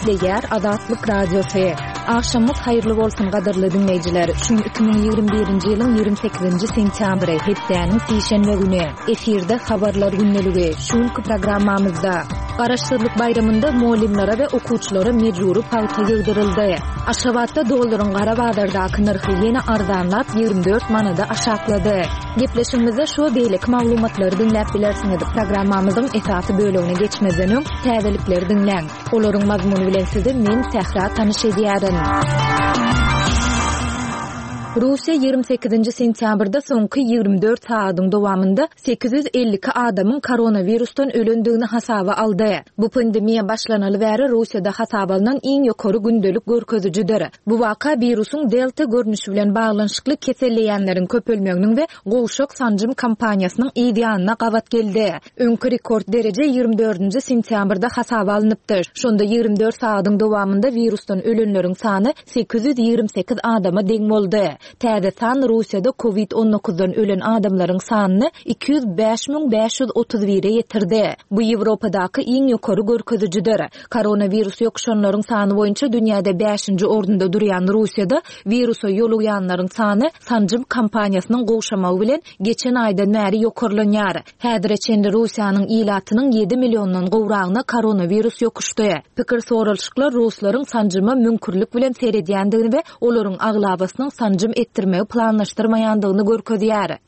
Gepleýär Azatlyk Radiosy. Agşamyňyz haýyrly bolsun gadyrly diňleýjiler. Şu gün 2021-nji ýylyň 28-nji sentýabry, hepdäniň sişenbe güni. Efirde habarlar gündeligi. Şu günki programmamyzda Garaşsyzlyk baýramynda mugallymlara we okuwçylara mejbury pagta ýygdyryldy. Aşgabatda dollaryň gara bazardaky nyrhy ýene arzanlap, 24 manada aşaklady. Gepleşigimizde şu we beýleki maglumatlary diňläp bilersiňiz. Programmamyzyň esasy bölegine geçmezden öň, täzelikleri diňläň. Olaryň mazmuny bilen sizi men, Sähra, tanyş edýärin. Russiýa 28-nji sentýabrda soňky 24 sagadyň dowamynda 852 adamyň koronawirusdan ölendigini hasaba aldy. Bu pandemiýa başlanaly bäri Russiýada hasaba alnan iň ýokary gündelik görkezijidir. Bu waka wirusyň delta görnüşi bilen baglanyşykly keselleýänleriň köpelmeginiň we gowşak sanjym kampaniýasynyň yz ýanyna gabat geldi. Öňki rekord dereje 24-nji sentýabrda hasaba alnypdy. Şonda 24 sagadyň dowamynda wirusdan ölenleriň sany 828 adama deň boldy. Täze san Russiýada covid 19-dan ölen adamlaryň sanyny 205 531-e ýetirdi. Bu Ýewropadaky iň ýokary görkezijidir. Koronawirus ýokuşanlaryň sany boýunça dünýäde bäşinji orunda durýan Russiýada wirusa ýolugýanlaryň sany sanjym kampaniýasynyň gowşamagy bilen geçen aýdan bäri ýokarlanýar. Häzire çenli Russiýanyň ilatynyň ýedi milliondan gowragyna koronawirus ýokuşdy. Pikir soralyşyklar ruslaryň sanjyma müňkürlik bilen seredýändigini we olaryň aglabasynyň sanjym etdirmegi planlaşdyrmaýandygyny görkezýär.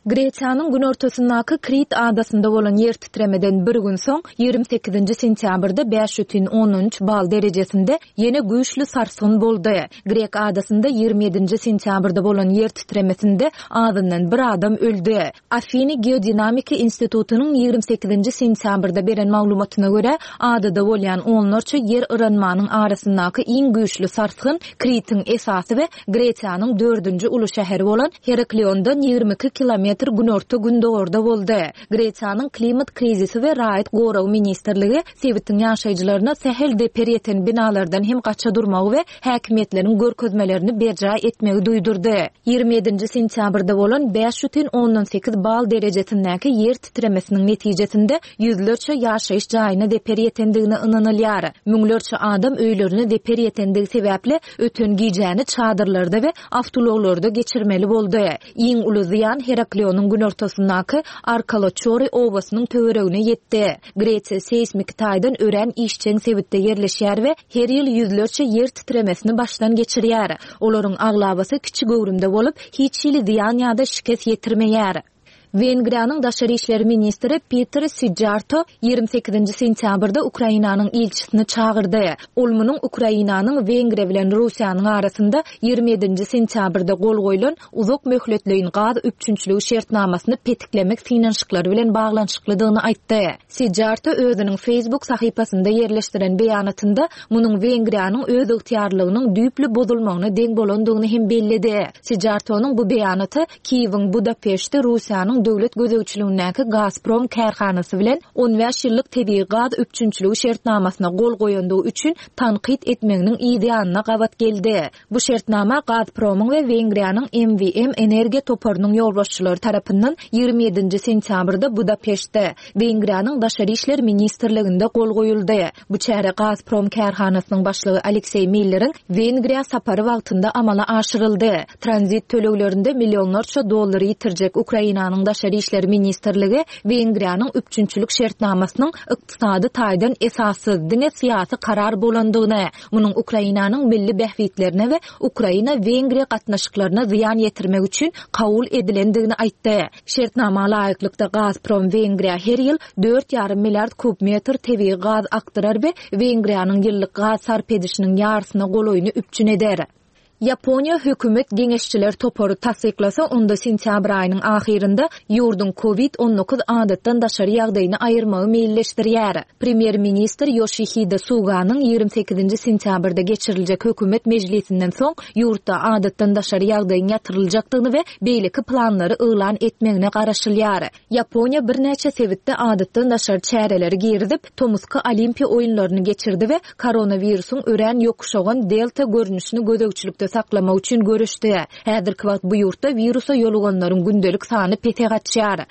Gresiýanyň günortasyndaky Krit adasynda bolan ýer titremeden bir gün soň, 28-nji sentýabrda 5,3 bal derejesinde ýene güýçli sarsgyn boldy. Grek adasynda 27-nji sentýabrda bolan ýer titremesinde azyndan bir adam öldi. Afiny geodinamiki institutynyň 28-nji sentýabrda beren maglumatyna görä, adada bolýan onlarça ýer yranmanyň arasyndaky iň güýçli sarsgyn Kritiň esasy we Gresiýanyň dördünji uly şäheri bolan Herakliondan 22 kilometr günorta-gündogarda boldy. Gresiýanyň Klimat krizisi we raýat goragy ministrligi sebitiň ýaşaýjylaryna sähel zeper ýeten binalardan hem gaça durmagy we häkimiýetleriň görkezmelerini berjaý etmegi duýdurdy. 27-nji sentýabrda bolan 5,8 bal derejesindäki ýer titremesiniň netijesinde ýüzlerçe ýaşaýyş jaýyna zeper ýetendigine ynanylýar. Müňlerçe adam öýlerine zeper ýetendigi sebäpli Öten gijäni çadyrlarda we awtoulaglarda geçirmeli boldy. Iň uly zyýan Heraklionyň günortasyndaky Arkaloçori obasynyň töweregine ýetdi. Gresiýa seýsmiki taýdan örän işjeň sebitde ýerleşýär we her ýyl ýüzlerçe ýer titremesini başdan geçirýär. Olaryň aglabasy kiçi göwrümde bolup, hiç hili zyýan ýa-da şikes ýetirmeýär. Wengriýanyň daşary işler ministri Peter Sijjarto 28-nji sentýabrda Ukrainanyň ilçisini çagyrdy. Ol munuň Ukrainanyň Wengriýa bilen Russiýanyň arasynda 27-nji sentýabrda gol goýlan uzak möhletleýin gaz üpjünçiligi şertnamasyny petiklemek synanyşyklary bilen baglanyşyklydygyny aýtdy. Sijjarto özüniň Facebook sahypasynda ýerleşdiren beýanatynda munuň Wengriýanyň özygtyýarlygynyň düýpli bozulmagyna deň bolandygyny hem belledi. Sijjartonyň bu beýanaty Kiýewiň Budapeştde Russiýanyň döwlet gözegçiligindäki Gazprom kärhanasy bilen 15 ýyllyk tebigy gaz üpjünçiligi şertnamasyna gol goýandygy üçin tankyt etmeginiň yz ýanyna gabat geldi. Bu şertnama Gazpromyň we Wengriýanyň MVM energiýa toparynyň ýolbaşçylary tarapyndan 27-nji sentýabrda Budapeştde, Wengriýanyň Daşary işler ministrliginde gol goýuldy. Bu çäre Gazprom kärhanasynyň başlygy Alekseý Milleriň Wengriýa sapary wagtynda amala aşyryldy. Tranzit töleglerinde millionlarça dollar ýitirjek Ukrainanyň Daşary işler ministrligi Wengriýanyň üpjünçilik şertnamasynyň ykdysady taýdan esassyz, diňe syýasy karar bolandygyny, munuň Ukrainanyň milli bähbitlerine we Ukraina-Wengriýa gatnaşyklaryna zyýan ýetirmek üçin kabul edilendigini aýtdy. Şertnama laýyklykda, Gazprom Wengriýa her ýyl 4,5 milliard kub metr tebigy gaz akdyrar we Wengriýanyň ýyllyk gaz sarp edişiniň ýarysyna golaýyny üpjün eder. Ýaponiýa hökümet geňeşçiler topary tassyklasa, onda sentýabr aýynyň ahyrynda ýurduň Covid 19 adatdan daşary ýagdaýyny aýyrmagy meýilleşdirýär. Premýer-ministr Ýoşihide Suganyň 28-nji sentýabrda geçiriljek hökümet mejlisinden soň ýurtda adatdan daşary ýagdaýyň ýatyryljakdygyny we beýleki planlary yglan etmegine garaşylýar. Ýaponiýa birnäçe sebitde adatdan daşary çäreleri girizip, tomusky Olimpiýa oýunlaryny geçirdi we koronawirusyň örän ýokuşagan Delta görnüşini gözegçilikde saklamak üçin göreşdi. Häzirki wagt bu ýurtda wirusa ýoluganlaryň gündelik sany pese gaçýar.